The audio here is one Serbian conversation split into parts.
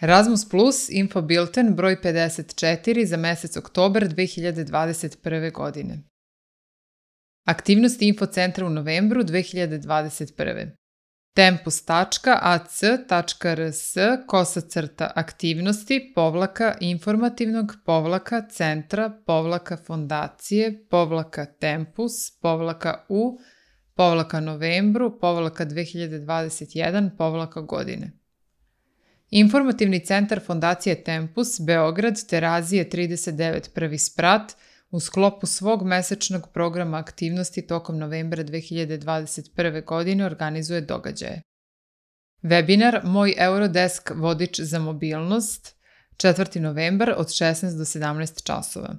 Erasmus Plus Info Bilten broj 54 za mesec oktobar 2021. godine. Aktivnosti Infocentra u novembru 2021. tempus.ac.tempus.tempus.tempus.novembru.2021. Informativni centar Fondacije Tempus, Beograd, Terazije 39 Prvi sprat, u sklopu svog mesečnog programa aktivnosti tokom novembra 2021. godine organizuje događaje. Webinar Moj Eurodesk vodič za mobilnost, 4. novembar od 16 do 17 časova.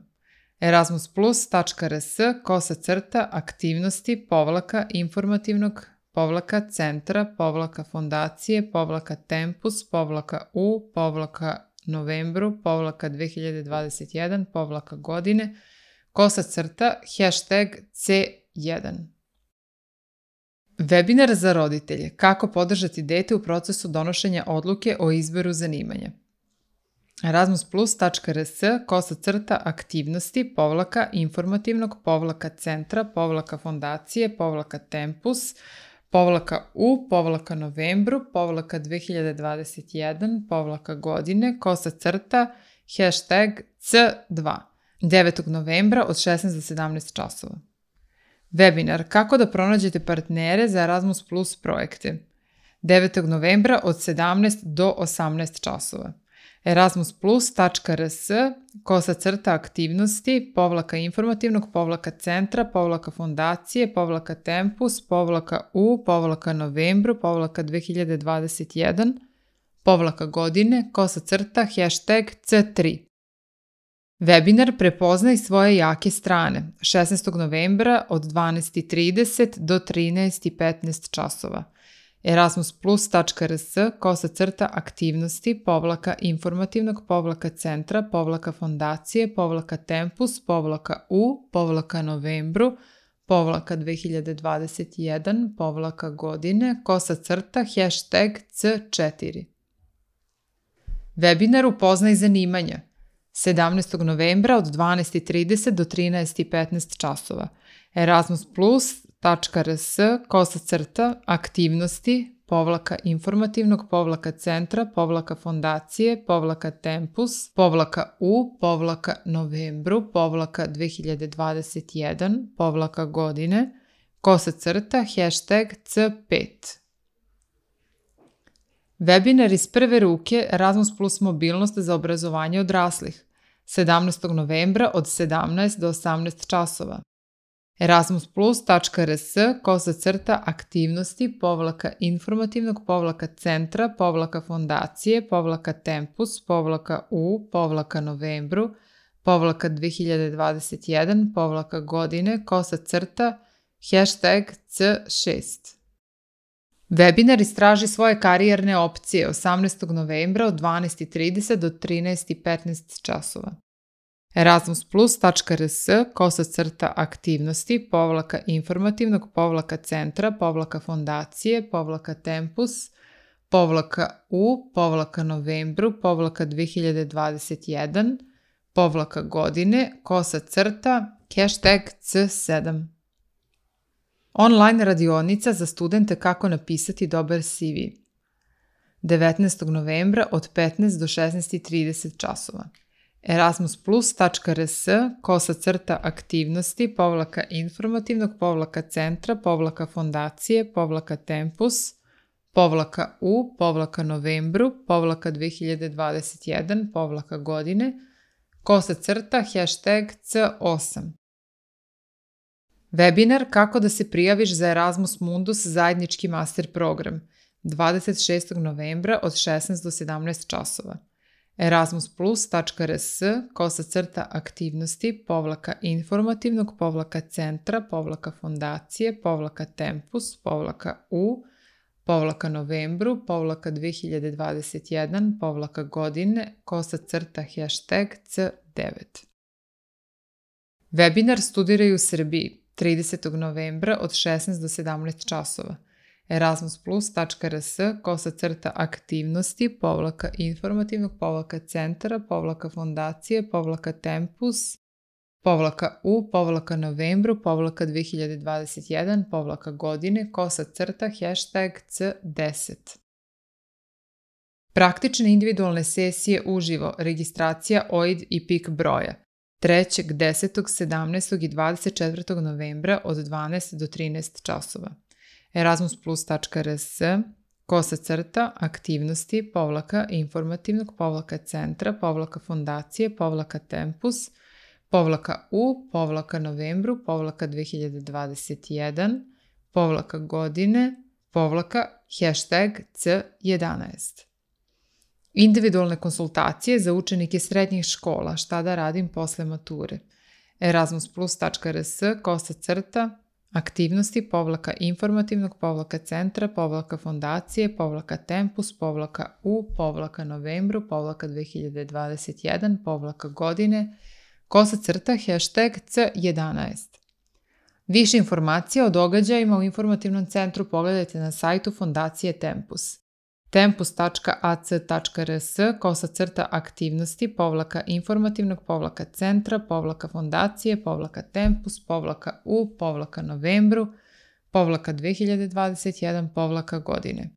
Erasmus+-aktivnosti-informativnog-centra-fondacije-tempus-u-novembru-2021-godine #C1. Webinar za roditelje Kako podržati dete u procesu donošenja odluke o izboru zanimanja. Erasmus+-aktivnosti-informativnog-centra-fondacije-tempus-u-novembru-2021-godine #C2. 9. novembra od 16 do 17 časova. Webinar Kako da pronađete partnere za Erasmus Plus projekte. 9. novembra od 17 do 18 časova. Erasmus+-aktivnosti-informativnog-centra-fondacije-u-novembru-2021-godine #C3. Webinar Prepoznaj svoje jake strane, 16. novembra od 12.30 do 13.15 časova. Erasmus+-centra-aktivnosti-informativnog-centra-fondacije-u-novembru-2021-godine #C4. Webinar Upoznaj zanimanja, 17. novembra od 12.30 do 13.15 časova. Erasmus+-aktivnosti-informativnog-centra-fondacije-u-novembru-2021-godine #C5. Webinar iz prve ruke Erasmus Plus mobilnost za obrazovanje odraslih, 17. novembra od 17 do 18 časova. Erasmus+-aktivnosti-informativnog-centra-fondacije-u-novembru-2021-godine #C6. Webinar Istraži svoje karijerne opcije, 18. novembra od 12.30 do 13.15 časova. Erasmus+-aktivnosti-informativnog-centra-fondacije-u-novembru-2021-godine #C7. Online radionica za studente kako napisati dobar CV, 19. novembra od 15 do 16.30 časova. Erasmus+-informativnog-centra-informativnog-centra-u-novembru-2021-godine #C8. Webinar Kako da se prijaviš za Erasmus Mundus zajednički master program, 26. novembra od 16 do 17 časova. Erasmus+-aktivnosti-informativnog-centra-u-novembru-2021-godine #C9. Webinar Studiraj u Srbiji, 30. novembra od 16 do 17 časova. erasmusplus.rs/aktivnosti /informativnog centra fondacije /tempus /u/novembru /2021 godine #hashtag C10. Praktične individualne sesije uživo, registracija OID i PIK broja 3., 10., 17. i 24. novembra od 12 do 13 časova. erasmusplus.rs/aktivnosti /informativnog centra fondacije /tempus /u/novembru /2021 godine #hashtag C11. Individualne konsultacije za učenike srednjih škola, šta da radim posle mature. erasmusplus.rs/aktivnosti /informativnog centra fondacije /tempus /u/novembru /2021 godine #hashtag C11. Više informacija o događajima u informativnom centru pogledajte na sajtu Fondacije Tempus. tempus.ac.rs/aktivnosti /informativnog centra fondacije /tempus /u/novembru /2021 godine.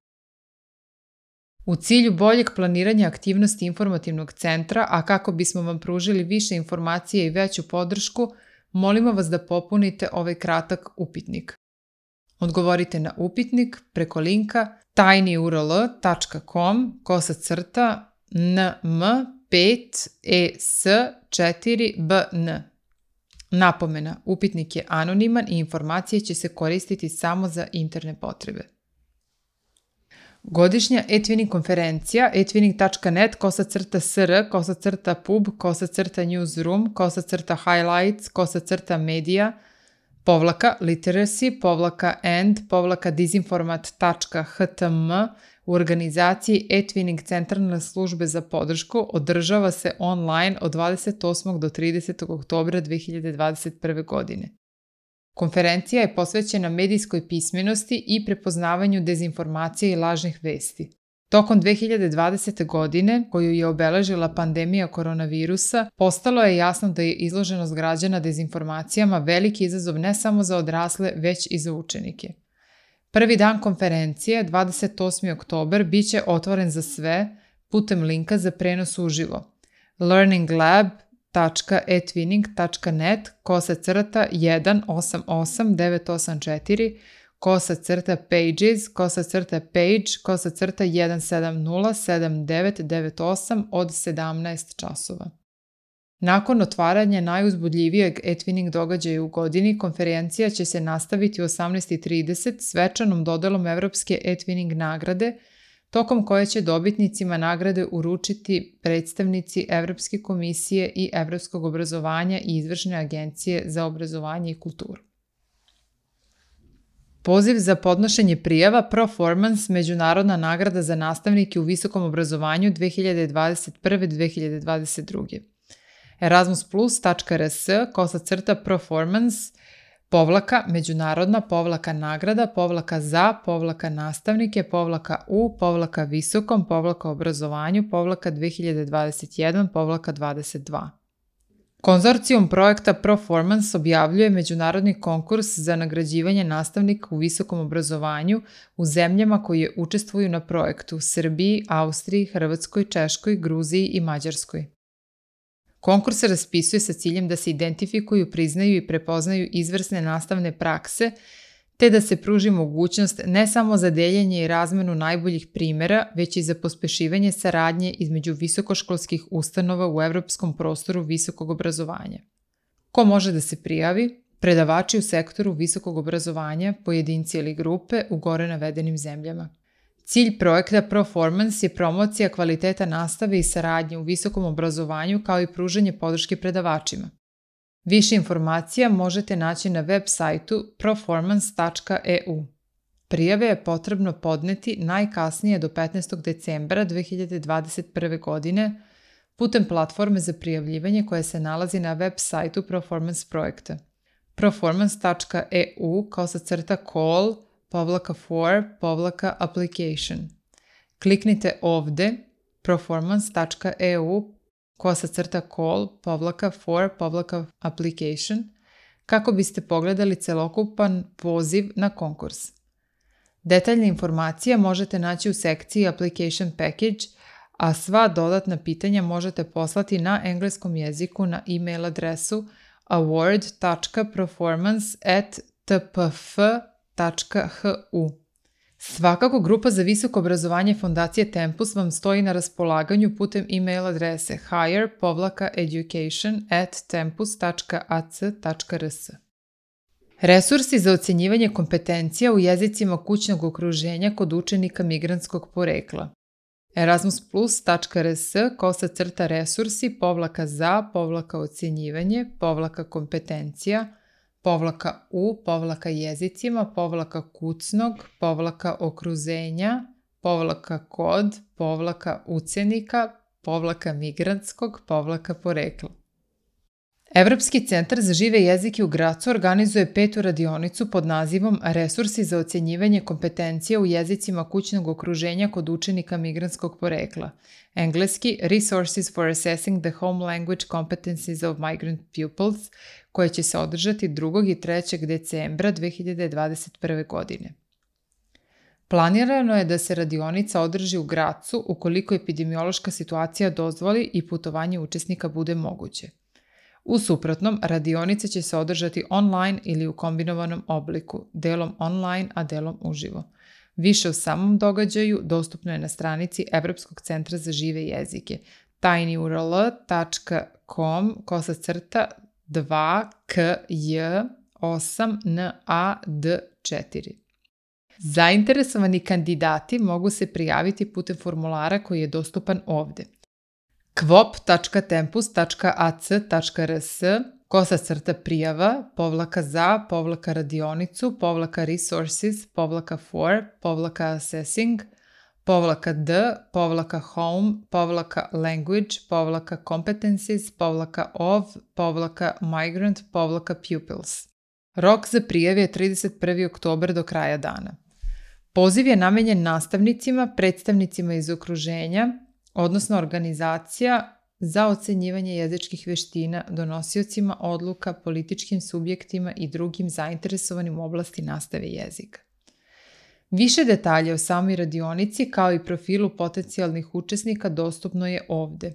U cilju boljeg planiranja aktivnosti informativnog centra, a kako bismo vam pružili više informacije i veću podršku, molimo vas da popunite ovaj kratak upitnik. Odgovorite na upitnik preko linka tinyurl.com/nm5es4bn. Napomena, upitnik je anoniman i informacije će se koristiti samo za interne potrebe. Godišnja e-twinning konferencija e-twinning.net /sr/pub /newsroom /highlights /media /literacy /and /disinformat.htm u organizaciji e-twinning centralne službe za podršku održava se online od 28. do 30. oktobra 2021. godine. Konferencija je posvećena medijskoj pismenosti i prepoznavanju dezinformacije i lažnih vesti. Tokom 2020. godine, koju je obeležila pandemija koronavirusa, postalo je jasno da je izloženost građana dezinformacijama veliki izazov ne samo za odrasle, već i za učenike. Prvi dan konferencije, 28. oktobar, bit će otvoren za sve putem linka za prenos uživo. learninglab.etwinning.net /188-984 /pages /page /170-7998 od 17 časova. Nakon otvaranja najuzbudljivijeg e-twinning događaja u godini, konferencija će se nastaviti u 18:30 svečanom dodelom Evropske e-twinning nagrade, tokom koje će dobitnicima nagrade uručiti predstavnici Evropske komisije i Evropskog obrazovanja i Izvršne agencije za obrazovanje i kulturu. Poziv za podnošenje prijava Proformance Međunarodna nagrada za nastavnike u visokom obrazovanju 2021-2022. erasmusplus.rs/proformance /međunarodna nagrada /za nastavnike /u visokom obrazovanju /2021-22. Konzorcijum projekta Proformance objavljuje međunarodni konkurs za nagrađivanje nastavnika u visokom obrazovanju u zemljama koje učestvuju na projektu: Srbiji, Austriji, Hrvatskoj, Češkoj, Gruziji i Mađarskoj. Konkurs se raspisuje sa ciljem da se identifikuju, priznaju i prepoznaju izvrsne nastavne prakse, te da se pruži mogućnost ne samo za deljenje i razmenu najboljih primjera, već i za pospešivanje saradnje između visokoškolskih ustanova u evropskom prostoru visokog obrazovanja. Ko može da se prijavi? Predavači u sektoru visokog obrazovanja, pojedinci ili grupe u gore navedenim zemljama. Cilj projekta Proformance je promocija kvaliteta nastave i saradnje u visokom obrazovanju kao i pružanje podrške predavačima. Više informacija možete naći na web sajtu proformance.eu. Prijave je potrebno podneti najkasnije do 15. decembra 2021. godine putem platforme za prijavljivanje koja se nalazi na web sajtu Proformance projekta. proformance.eu /call call_for_application. Kliknite ovde performance.eu/call_for_application kako biste pogledali celokupan poziv na konkurs. Detaljne informacije možete naći u sekciji Application Package, a sva dodatna pitanja možete poslati na engleskom jeziku na e-mail adresu award.performance@tpf.hu. Svakako, grupa za visoko obrazovanje Fondacije Tempus vam stoji na raspolaganju putem e-mail adrese higher-education@tempus.ac.rs. Resursi za ocjenjivanje kompetencija u jezicima kućnog okruženja kod učenika migrantskog porekla. Erasmus+.rs/kucnog-jezicima-kucnog-ucenika-migrantskog-migrantskog-porekla. Evropski centar za žive jezike u Gracu organizuje 5. radionicu pod nazivom Resursi za ocjenjivanje kompetencija u jezicima kućnog okruženja kod učenika migrantskog porekla. Engleski Resources for Assessing the Home Language Competencies of Migrant Pupils, koje će se održati 2. i 3. decembra 2021. godine. Planirano je da se radionica održi u Gracu ukoliko epidemiološka situacija dozvoli i putovanje učesnika bude moguće. U suprotnom, radionica će se održati online ili u kombinovanom obliku, delom online, a delom uživo. Više o samom događaju dostupno je na stranici Evropskog centra za žive jezike tinyurl.com/2kj8nad4. Zainteresovani kandidati mogu se prijaviti putem formulara koji je dostupan ovde. kvop.tempus.ac/resources/for/radionicu/home/migrant/pupils. Rok za prijave je 31. oktobar do kraja dana. Poziv je namenjen nastavnicima, predstavnicima iz okruženja, odnosno organizacija za ocenjivanje jezičkih veština, donosiocima odluka, političkim subjektima i drugim zainteresovanim u oblasti nastave jezika. Više detalja o samoj radionici kao i profilu potencijalnih učesnika dostupno je ovde.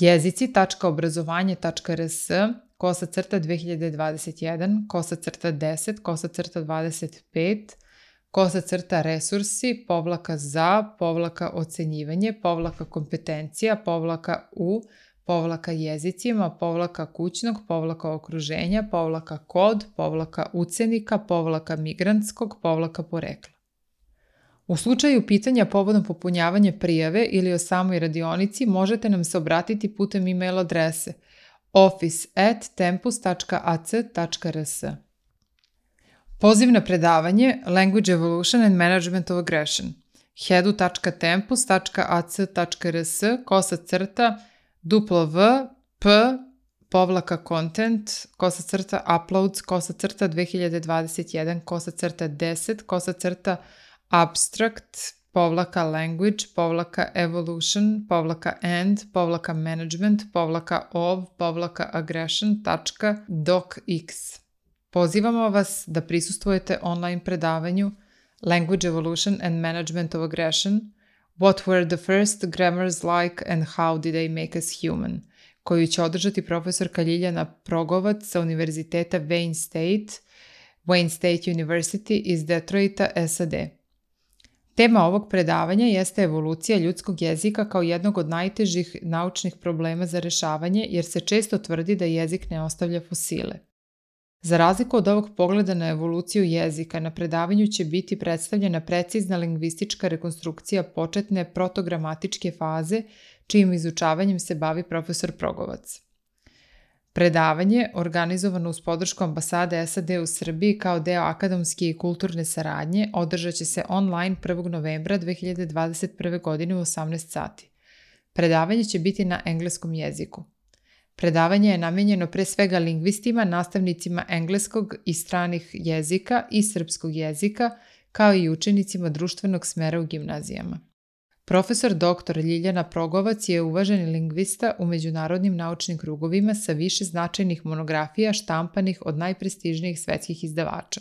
jezici.obrazovanje.rs/ocjenjivanje.za/kućnog-ucenika-kod-ucenika-migrantskog-ucenika-migrantskog-porekla. U slučaju pitanja povodom popunjavanja prijave ili o samoj radionici možete nam se obratiti putem e-mail adrese office@tempus.ac.rs. Poziv na predavanje Language Evolution and Management of Aggression hedu.tempus.ac.rs/upload/p.content/approach/language-evolution-and-management-aggression.docx. Pozivamo vas da prisustvujete online predavanju Language Evolution and Management of Aggression What were the first grammars like and how did they make us human, koju će održati profesorka Ljiljana Progovac sa Univerziteta Wayne State University iz Detroita, SAD. Tema ovog predavanja jeste evolucija ljudskog jezika kao jednog od najtežih naučnih problema za rešavanje, jer se često tvrdi da jezik ne ostavlja fosile. Za razliku od ovog pogleda na evoluciju jezika, na predavanju će biti predstavljena precizna lingvistička rekonstrukcija početne protogramatičke faze, čijim izučavanjem se bavi profesor Progovac. Predavanje, organizovano uz podršku ambasade SAD u Srbiji kao deo akademske i kulturne saradnje, održat će se online 1. novembra 2021. godine u 18 sati. Predavanje će biti na engleskom jeziku. Predavanje je namijenjeno pre svega lingvistima, nastavnicima engleskog i stranih jezika i srpskog jezika, kao i učenicima društvenog smera u gimnazijama. Profesor dr. Ljiljana Progovac je uvaženi lingvista u međunarodnim naučnim krugovima sa više značajnih monografija štampanih od najprestižnijih svetskih izdavača.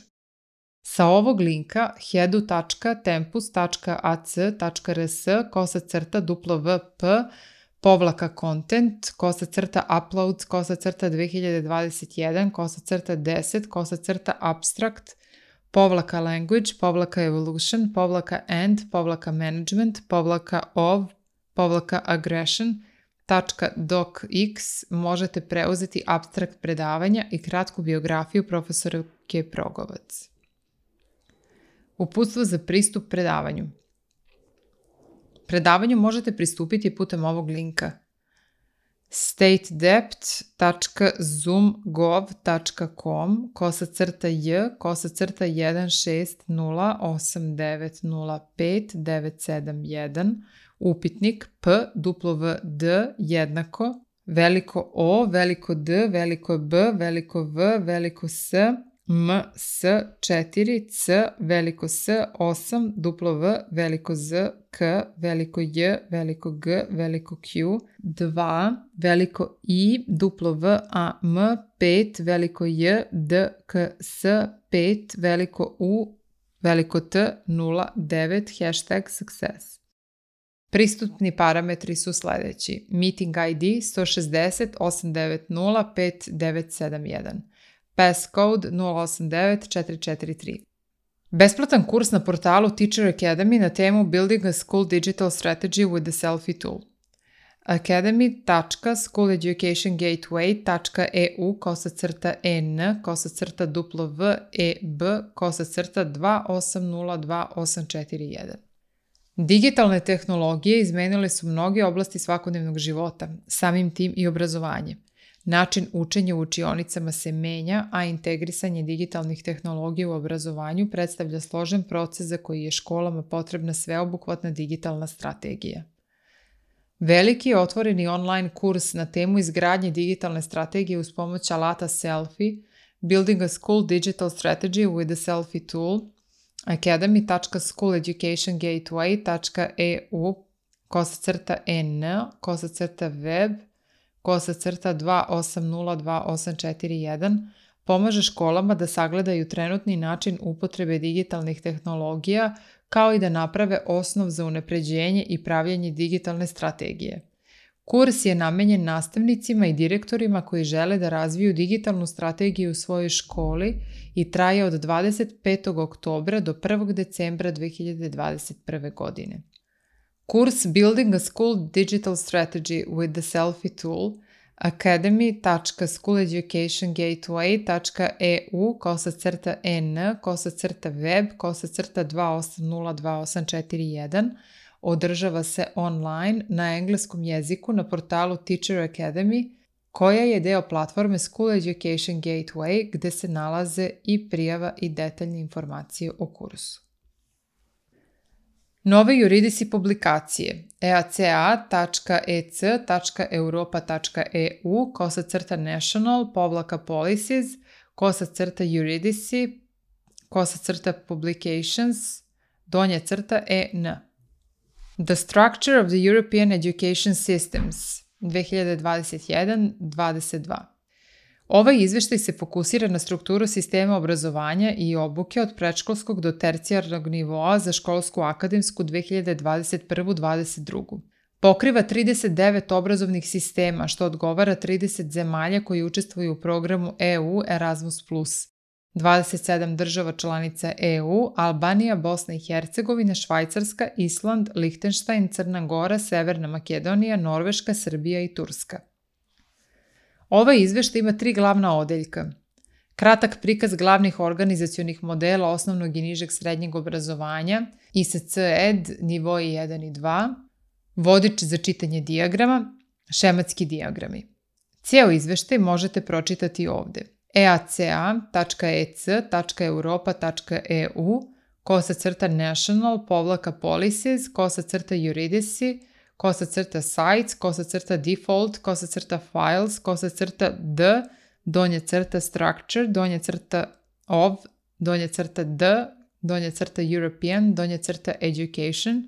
Sa ovog linka hedu.tempu.ac.rs/upload/upload/applaud/upload/evolution/aggression.docx možete preuzeti apstrakt predavanja i kratku biografiju profesorke Progovac. Uputstvo za pristup predavanju. Predavanju možete pristupiti putem ovog linka statedept.zoom.gov.com/1608905971 upitnik PWD jednako veliko O, veliko D, veliko B, veliko V, veliko S, M, S, 4, C, veliko S, 8, duplo V, veliko Z, K, veliko J, veliko G, veliko Q, 2, veliko I, duplo V, A, M, 5, veliko J, D, K, S, 5, veliko U, veliko T, 0, 9, #success. Pristupni parametri su sledeći. Meeting ID 160 890 5971. Passcode 089443. Besplatan kurs na portalu Teacher Academy na temu Building a School Digital Strategy with the Selfie Tool. academy.schoologedationgateway.en/web/28022841. Digitalne tehnologije izmenile su mnoge oblasti svakodnevnog života, samim tim i obrazovanje. Način učenja u učionicama se menja, a integrisanje digitalnih tehnologija u obrazovanju predstavlja složen proces za koji je školama potrebna sveobuhvatna digitalna strategija. Veliki otvoreni online kurs na temu izgradnje digitalne strategije uz pomoć alata Selfie, Building a School Digital Strategy with the Selfie Tool, academy.schoologedationgateway.eu/web/28022841 pomaže školama da sagledaju trenutni način upotrebe digitalnih tehnologija kao i da naprave osnov za unapređenje i pravljenje digitalne strategije. Kurs je namenjen nastavnicima i direktorima koji žele da razviju digitalnu strategiju u svojoj školi i traje od 25. oktobra do 1. decembra 2021. godine. Kurs Building a School Digital Strategy with the Selfie Tool academy.schoologedationgateway.en/web/28022841 održava se online na engleskom jeziku na portalu Teacher Academy, koja je deo platforme School Education Gateway gde se nalaze i prijava i detaljne informacije o kursu. Nove juridisi publikacije eac.ec.europa.eu/national/policies/publications-en. The Structure of the European Education Systems 2021-22. Ovaj izveštaj se fokusira na strukturu sistema obrazovanja i obuke od predškolskog do tercijarnog nivoa za školsku akademsku 2021-22. Pokriva 39 obrazovnih sistema, što odgovara 30 zemalja koji učestvuju u programu EU Erasmus+, 27 država članica EU, Albanija, Bosna i Hercegovina, Švajcarska, Island, Lihtenštajn, Crna Gora, Severna Makedonija, Norveška, Srbija i Turska. Ovaj izveštaj ima 3 glavna odeljka. Kratak prikaz glavnih organizacionih modela osnovnog i nižeg srednjeg obrazovanja, ISC-ED, nivoji 1 i 2, vodič za čitanje dijagrama, šematski dijagrami. Cijel izveštaj možete pročitati ovde. eac.ec.europa.eu/policies/sites/default/files/d-structure-d-d European, -Education,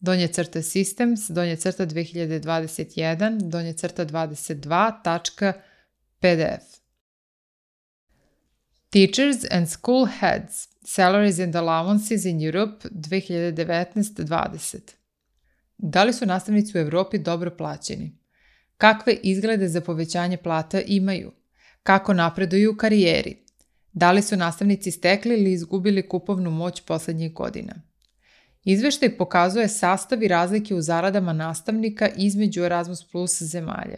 -Systems, -2021, -22.pdf. Teachers and School Heads, Salaries and Allowances in Europe 2019-20. Da li su nastavnici u Evropi dobro plaćeni? Kakve izglede za povećanje plata imaju? Kako napreduju u karijeri? Da li su nastavnici stekli ili izgubili kupovnu moć poslednjih godina? Izveštaj pokazuje sastav i razlike u zaradama nastavnika između Erasmus Plus zemalja.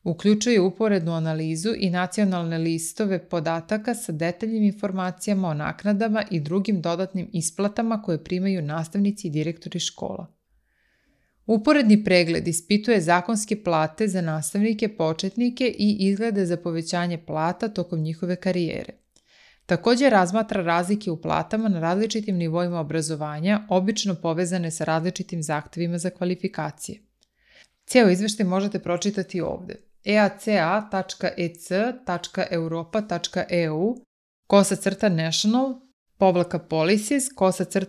Uključuje uporednu analizu i nacionalne listove podataka sa detaljnim informacijama o naknadama i drugim dodatnim isplatama koje primaju nastavnici i direktori škola. Uporedni pregled ispituje zakonske plate za nastavnike, početnike i izglede za povećanje plata tokom njihove karijere. Također razmatra razlike u platama na različitim nivoima obrazovanja, obično povezane sa različitim zahtevima za kvalifikacije. Cijeli izveštaj možete pročitati ovdje: eaca.ec.europa.eu /national/policies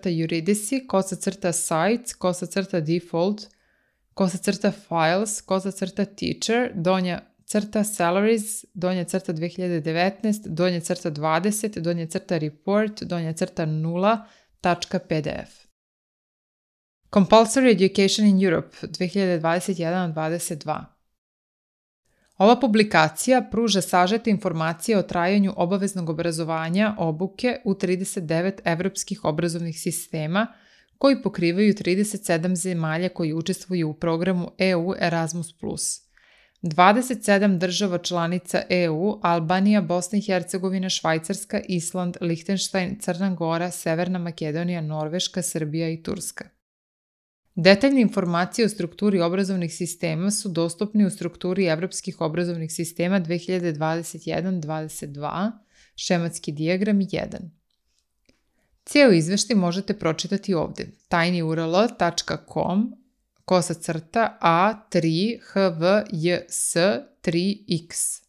/juridici /sites /default /files /teacher -salaries -2019 -20 -report -0.pdf. Compulsory Education in Europe 2021-22. Ova publikacija pruža sažete informacije o trajanju obaveznog obrazovanja obuke u 39 evropskih obrazovnih sistema koji pokrivaju 37 zemalja koji učestvuju u programu EU Erasmus+. 27 država članica EU, Albanija, Bosna i Hercegovina, Švajcarska, Island, Lihtenštajn, Crna Gora, Severna Makedonija, Norveška, Srbija i Turska. Detaljne informacije o strukturi obrazovnih sistema su dostupni u strukturi evropskih obrazovnih sistema 2021-22, šematski dijagram 1. Cijel izveštaj možete pročitati ovdje: tinyurl.com/a3hvjs3x.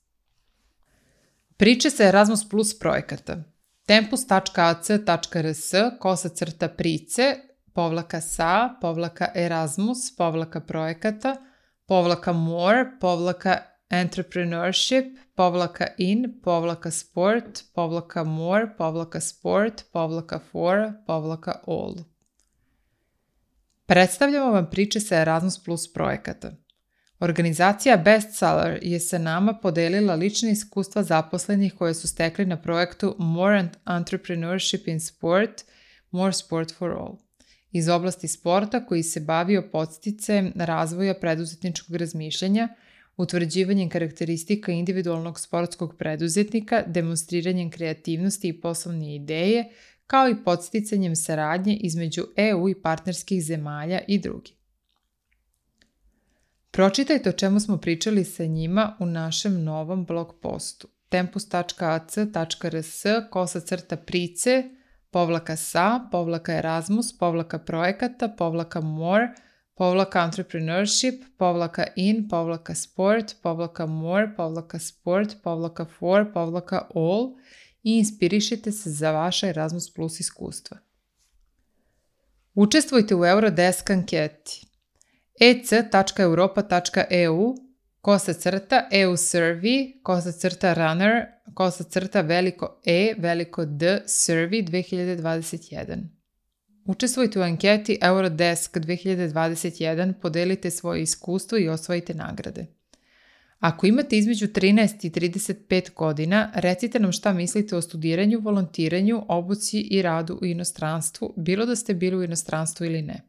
Priče sa Erasmus Plus projekata: tempus.ac.rs/price /sa/Erasmus/projekata /more/in/sport/sport/for/all. Predstavljamo vam priče sa Erasmus Plus projekata. Organizacija Bestseller je sa nama podelila lične iskustva zaposlenih koje su stekli na projektu More Entrepreneurship in Sport, More Sport for All, iz oblasti sporta koji se bavio podsticajem razvoja preduzetničkog razmišljanja, utvrđivanjem karakteristika individualnog sportskog preduzetnika, demonstriranjem kreativnosti i poslovne ideje, kao i podsticanjem saradnje između EU i partnerskih zemalja i drugi. Pročitajte o čemu smo pričali sa njima u našem novom blog postu tempus.ac.rs/price /projekata/in/sport/more/sport/for/all i inspirišite se za vaša Erasmus Plus iskustva. Učestvujte u Eurodesk anketi ec.europa.eu /survey/runner/D survey 2021. Učestvujte u anketi Eurodesk 2021, podelite svoje iskustvo i osvojite nagrade. Ako imate između 13 i 35 godina, recite nam šta mislite o studiranju, volontiranju, obuci i radu u inostranstvu, bilo da ste bili u inostranstvu ili ne.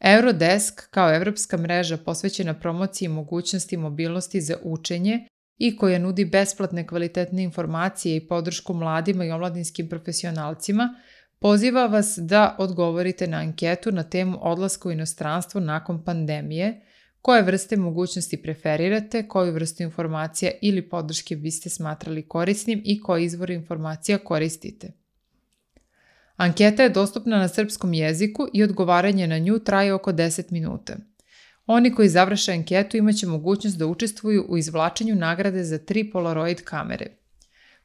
Eurodesk, kao evropska mreža posvećena promociji mogućnosti mobilnosti za učenje i koja nudi besplatne kvalitetne informacije i podršku mladima i omladinskim profesionalcima, poziva vas da odgovorite na anketu na temu odlaska u inostranstvo nakon pandemije, koje vrste mogućnosti preferirate, koju vrstu informacija ili podrške biste smatrali korisnim i koje izvore informacija koristite. Anketa je dostupna na srpskom jeziku i odgovaranje na nju traje oko 10 minuta. Oni koji završe anketu imaće mogućnost da učestvuju u izvlačenju nagrade za 3 Polaroid kamere.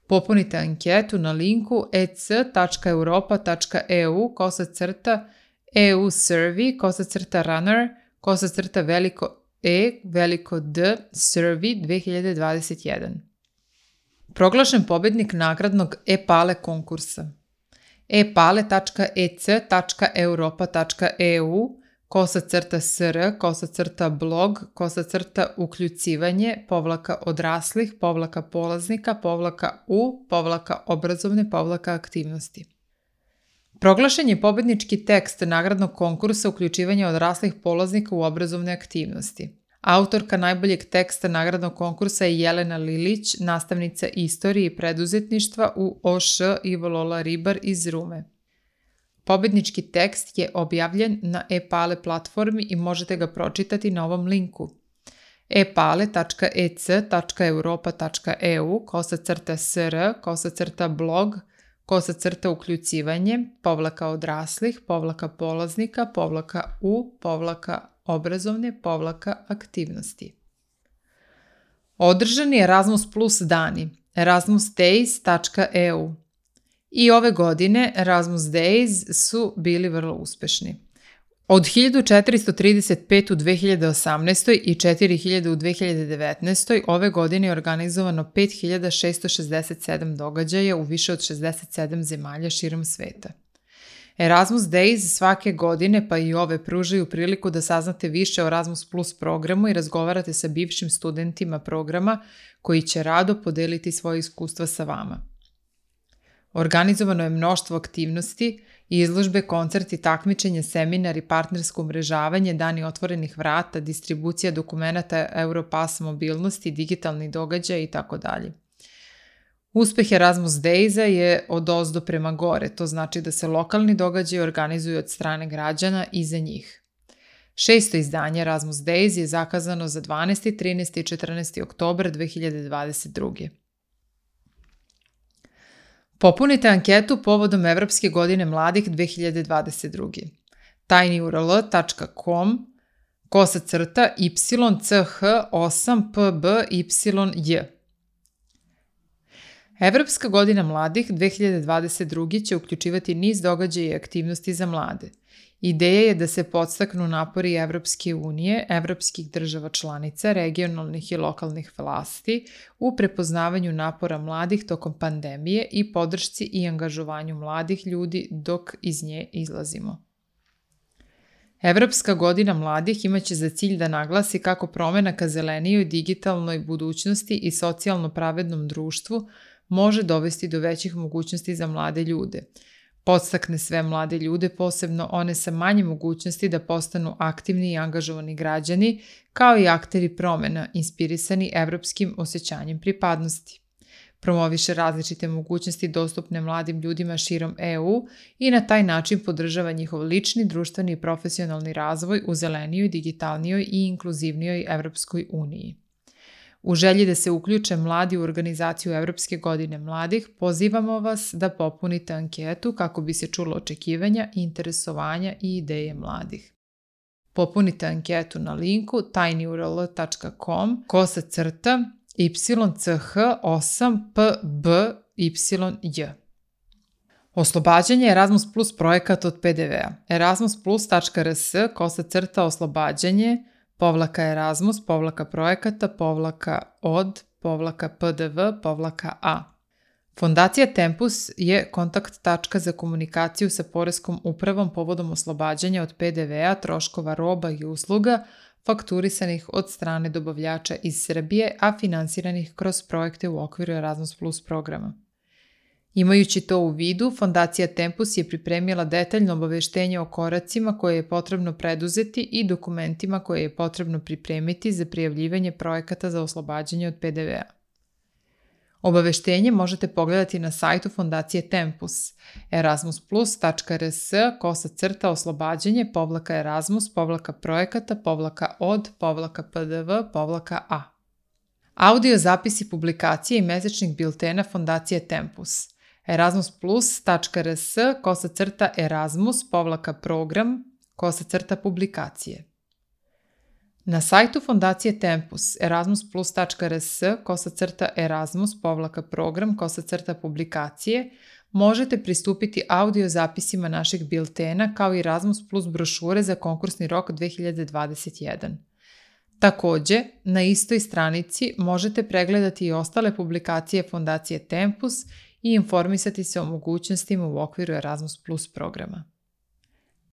Popunite anketu na linku ec.europa.eu/runner/veliko-E/D survey 2021. Proglašen pobednik nagradnog e-pale konkursa. epale.ec.europa.eu/sr/sr/blog/odraslih-u/obrazovne-aktivnosti. Proglašen je pobednički tekst nagradnog konkursa uključivanja odraslih polaznika u obrazovne aktivnosti. Autorka najboljeg teksta nagradnog konkursa je Jelena Lilić, nastavnica istorije i preduzetništva u OŠ Ivo Lola Ribar iz Rume. Pobednički tekst je objavljen na e-pale platformi i možete ga pročitati na ovom linku epale.ec.europa.eu/blog/odraslih-u/obrazovne-aktivnosti. Održani Erasmus Plus dani, erasmusdays.eu. I ove godine Erasmus Days su bili vrlo uspešni. Od 1435 u 2018. i 4000 u 2019. ove godine je organizovano 5667 događaja u više od 67 zemalja širom sveta. Erasmus Days svake godine, pa i ove, pružaju priliku da saznate više o Erasmus Plus programu i razgovarate sa bivšim studentima programa koji će rado podeliti svoje iskustva sa vama. Organizovano je mnoštvo aktivnosti, izložbe, koncerti, takmičenja, seminari, partnersko umrežavanje, dani otvorenih vrata, distribucija dokumenata Europass mobilnosti, digitalni događaj itd. Uspeh Erasmus Daysa je odozdo prema gore, to znači da se lokalni događaji organizuju od strane građana i za njih. 6. izdanje Erasmus Days je zakazano za 12., 13. i 14. oktobar 2022. Popunite anketu povodom Evropske godine mladih 2022. tinyurl.com/YCH8PBYJ. Evropska godina mladih 2022. će uključivati niz događaja i aktivnosti za mlade. Ideja je da se podstaknu napori Evropske unije, evropskih država članica, regionalnih i lokalnih vlasti u prepoznavanju napora mladih tokom pandemije i podršci i angažovanju mladih ljudi dok iz nje izlazimo. Evropska godina mladih imaće za cilj da naglasi kako promena ka zelenijoj digitalnoj budućnosti i socijalno pravednom društvu može dovesti do većih mogućnosti za mlade ljude. Podstakne sve mlade ljude, posebno one sa manje mogućnosti da postanu aktivni i angažovani građani, kao i akteri promena, inspirisani evropskim osjećanjem pripadnosti. Promoviše različite mogućnosti dostupne mladim ljudima širom EU i na taj način podržava njihov lični, društveni i profesionalni razvoj u zelenijoj, digitalnijoj i inkluzivnijoj Evropskoj uniji. U želji da se uključe mladi u organizaciju Evropske godine mladih, pozivamo vas da popunite anketu kako bi se čulo očekivanja, interesovanja i ideje mladih. Popunite anketu na linku tinyurl.com/YCH8PBYJ. Oslobađanje Erasmus Plus projekat od PDV-a. erasmusplus.rs/oslobađanje /projekata/od/pdv/a. Fondacija Tempus je kontakt tačka za komunikaciju sa Poreskom upravom povodom oslobađanja od PDV-a troškova roba i usluga fakturisanih od strane dobavljača iz Srbije, a finansiranih kroz projekte u okviru Erasmus Plus programa. Imajući to u vidu, Fondacija Tempus je pripremila detaljno obaveštenje o koracima koje je potrebno preduzeti i dokumentima koje je potrebno pripremiti za prijavljivanje projekata za oslobađanje od PDV-a. Obaveštenje možete pogledati na sajtu Fondacije Tempus erasmusplus.rs/oslobađanje-projekata/od/pdv/a. Audio zapisi publikacije i mesečnih biltena Fondacije Tempus erasmusplus.rs/erasmus-program-publikacije. Na sajtu Fondacije Tempus erasmus+.rs/Erasmus-program/publikacije možete pristupiti audio zapisima naših biltena kao i Erasmus Plus brošure za konkursni rok 2021. Također, na istoj stranici možete pregledati i ostale publikacije Fondacije Tempus i informisati se o mogućnostima u okviru Erasmus Plus programa.